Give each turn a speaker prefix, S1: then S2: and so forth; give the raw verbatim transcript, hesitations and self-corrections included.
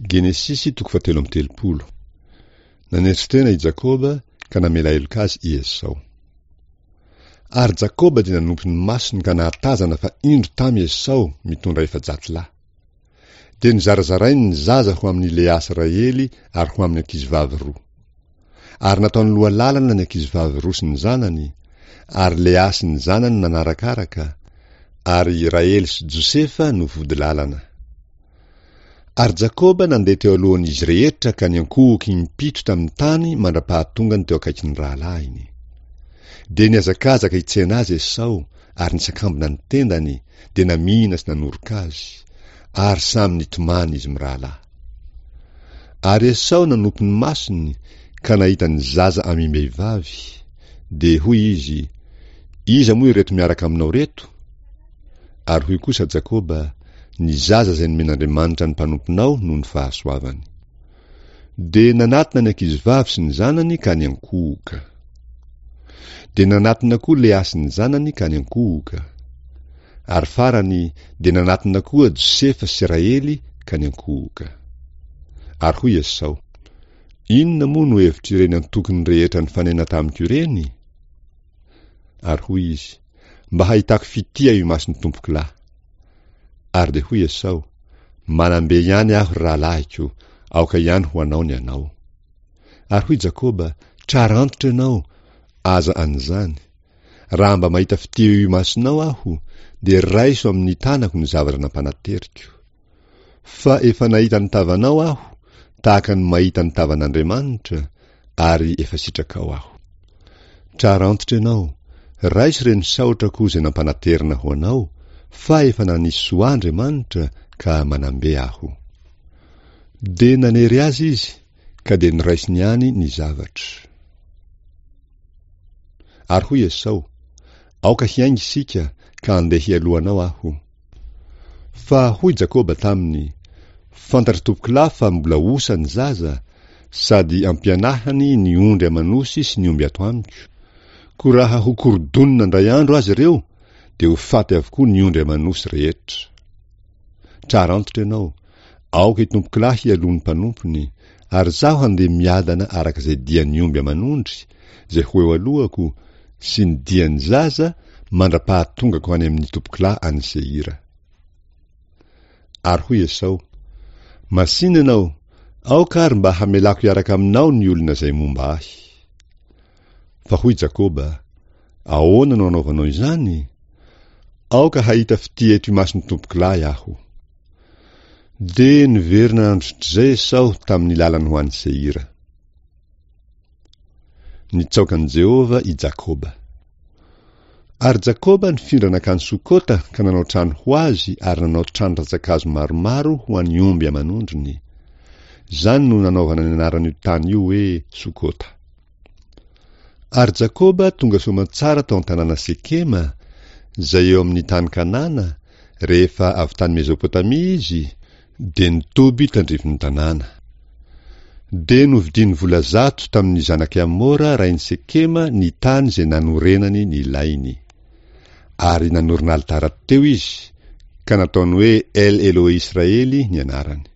S1: Genesisy toko fahatelo amby telopolo. Nanetry tena i Jakoba ka namela heloka azy i Esao. Ary Jakoba dia nanompo ny masony ka nahatazana fa indro tamy Esao mitondra efajato lahy. Dia nizarazarainy ny zaza ho amin'i Lea sy Rahely ary ho amin'ny ankizivavy roa. Ary nataony loha lalana ny ankizivavy roa sy ny zanany, ary Lea sy ny zanany nanarakaraka, ary Rahely sy Josefa no vody lalana. Ary Jakoba nandeha teo alohan'izy rehetra ka niankohoka impito tamin'ny tany mandra-pahatongany teo akaikin'ny rahalahiny. Dia nihazakazaka hitsena azy Esao ary nisakambina ny tendany, dia namihina sy nanoroka azy, ary samy nitomany izy mirahalahy. Ary Esao nanopy ny masony ka nahita ny zaza amim-behivavy, dia hoy izy, Iza moa ireto miaraka aminao ireto? Ary hoy kosa Jakoba, Ny zaza izay nomen'Andriamanitra ny mpanomponao noho ny fahasoavany. Dia nanatona ny ankizivavy sy ny zanany ka niankohoka. Dia nanatona koa Lea sy ny zanany ka niankohoka. Ary farany dia nanatona koa Josefa sy Rahely ka niankohoka. Ary hoy Esao, Inona moa no hevitr'ireny antokony rehetra nifanena tamiko ireny? Ary hoy izy, Mba hahitako fitia eo imason'ny tompokolahy. Ary dia hoy Esao, Manam-be ihany aho, ry rahalahiko, aoka ihany ho anao ny anao. Ary hoy Jakoba, Trara antitra ianao, aza an'izany. Raha mba mahita fitia eo imasonao aho, dia raiso amin'ny tanako ny zavatra nampanateriko. Fa efa nahita ny tavanao aho, tahaka ny mahita ny tavan'Andriamanitra, ary efa sitrakao aho. Trara antitra ianao, raiso ireny saotrako izay nampanaterina ho anao, fa efa nanisy soa ahy Andriamanitra, ka manam-be aho. Dia nanery azy izy, ka dia noraisiny ihany ny zavatra. Ary hoy Esao, Aoka hiainga isika, ka andeha hialoha anao aho. Fa hoy Jakoba taminy, Fantatr'i tompokolahy fa mbola osa ny zaza, sady ampianahany ny ondry aman'osy sy ny omby ato amiko. Koa raha ho korodonina indray andro aza ireo, dia ho faty avokoa ny ondry aman'osy rehetra. Trara antitra ianao, aoka i tompokolahy hialoha ny mpanompony, ary izaho handeha miadana araka izay dian'ny omby aman'ondry, izay ho eo alohako, sy ny dian'ny zaza, mandra-pahatongako any amin'ny tompokolahy any Seira. Ary hoy Esao, Masìna ianao, aoka ary mba hamelako hiaraka aminao ny olona izay momba ahy. Fa hoy Jakoba, Ahoana no anaovanao izany? Aoka hahita fitia eto imason'ny tompokolahy aho. Dia niverina androtr'izay Esao tamin'ny lalany ho any Seira. Nitsaoka an'i Jehovah i Jakoba. Ary Jakoba nifindra nankany Sokota ka nanao trano ho azy ary nanao trano rantsankazo maromaro ho an'ny omby aman'ondriny. Izany no nanaovana ny anaran'io tany io hoe Sokota. Ary Jakoba tonga soamantsara tao an-tanàna Sekema, izay eo amin'ny tany Kanana, rehefa avy tany Mezopotamia izy, dia nitoby tandrifin'ny tanàna. Dia novidiany vola zato tamin'ny zanak'i Hamora rain'i Sekema ny tany izay nanorenany ny lainy. Ary nanorina alitara teo izy, ka nataony hoe El Elohe Israely ny anarany.